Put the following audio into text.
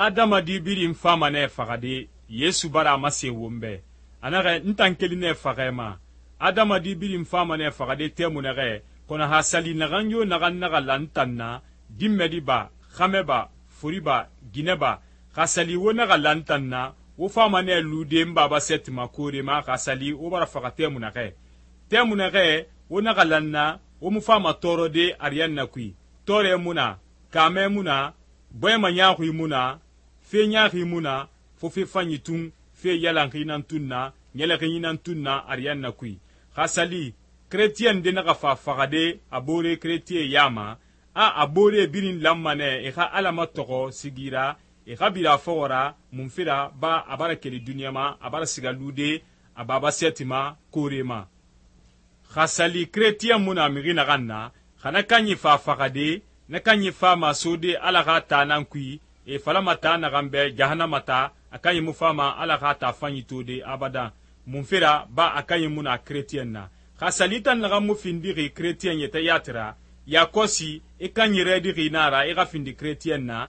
adamadi birin fama nɛ faxade, Yesu bara a masen won bɛ. A naxɛ n tan keli nɛ faxɛ ma. Adamadi birin fama nɛ faxade tɛmu naxɛ, kɔnɔ ha sali naxan yo naxan naxa la n tan na, dinmɛdi ba, xamɛ ba, fori ba, ginɛ ba, xa sali wo naxa la n tan na, wo fama nɛ lude n baba sɛti ma koore ma xa sali wo bara faxa tɛmu naxɛ. Tɛmu naxɛ wo naxa la n na, wo mu fama tɔɔrɔde ariyanna kui. Tɔɔrɛ mu na, kaamɛ mu na, bɔɲɛma ɲaaxui mu na, fe ɲaaxi mu na, fo fe fanyi tun, fe yalanxi nan tun na, ɲɛlɛxinyi nan tun na ariyanna kui. Xa sali keretiyɛn de naxa fa faxade a boore keretiye ya ma, a boore birin lanma nɛ e xa Ala matɔxɔ sigi ra, e xa bira a fɔxɔ ra munfe ra ba a bara keli duniɲa ma, a bara siga lude a baba sɛti ma koore ma. Xa sali keretiyɛn mu na mixi naxan na, xa na kanyi fa faxade, na kanyi fama sode Ala xa taa nan kui, e falama taa naxan bɛ jahanama taa, a kanyi mu fama Ala xa taa fanyi tode abadan. Munfe ra ba a kanyi mu na keretiyɛn na. Xa sali tan naxan mu findixi keretiyɛn yɛtɛ yati ra, yakɔsi i kanyi rɛdixi na ra i xa findi keretiyɛn na,